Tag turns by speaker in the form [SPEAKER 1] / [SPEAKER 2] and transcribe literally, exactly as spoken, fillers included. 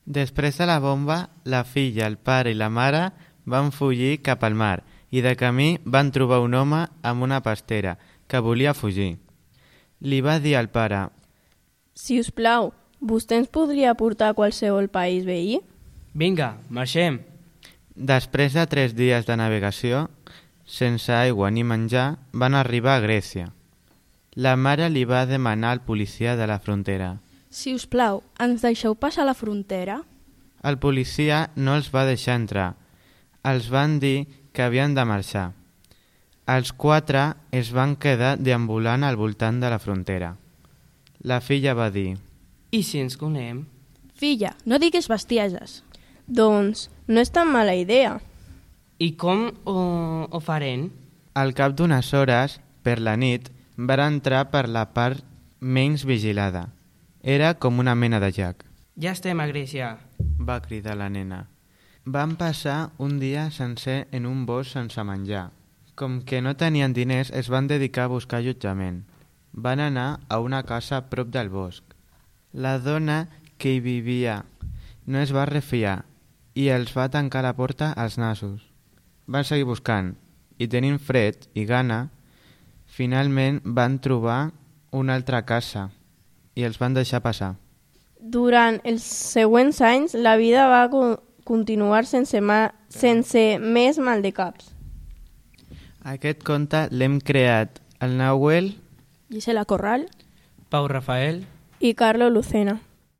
[SPEAKER 1] Després de la bomba, la filla, el pare i la mare van fugir cap al mar i de camí van trobar un home amb una pastera que volia fugir. Li va dir al pare:
[SPEAKER 2] Si us plau, vostè ens podria portar a qualsevol país veí?
[SPEAKER 3] Vinga, marxem.
[SPEAKER 1] Després de tres dies de navegació, sense aigua ni menjar, van arribar a Grècia. La mare li va demanar al policia de la frontera:
[SPEAKER 4] Si us plau, ens deixeu passar la frontera?
[SPEAKER 1] El policia no els va deixar entrar. Els van dir que havien de marxar. Els quatre es van quedar deambulant al voltant de la frontera. La filla va dir:
[SPEAKER 3] I si ens conem?
[SPEAKER 4] Filla, no diguis bestieses.
[SPEAKER 2] Doncs no és tan mala idea.
[SPEAKER 3] I com ho, ho farem?
[SPEAKER 1] Al cap d'unes hores, per la nit, van entrar per la part menys vigilada. Era com una mena de llac.
[SPEAKER 3] Ja estem a Grècia,
[SPEAKER 1] va cridar la nena. Van passar un dia sencer en un bosc sense menjar. Com que no tenien diners, es van dedicar a buscar allotjament. Van anar a una casa a prop del bosc. La dona que hi vivia no es va refiar i els va tancar la porta als nassos. Van seguir buscant i tenint fred i gana, finalment van trobar una altra casa i els van deixar passar.
[SPEAKER 2] Durant els següents anys, la vida va co- continuar sense, ma- sense més mal de caps.
[SPEAKER 1] Aquest conte l'hem creat el Nahuel,
[SPEAKER 4] Gisela Corral
[SPEAKER 3] Pau Rafael.
[SPEAKER 2] I Carlo Lucena.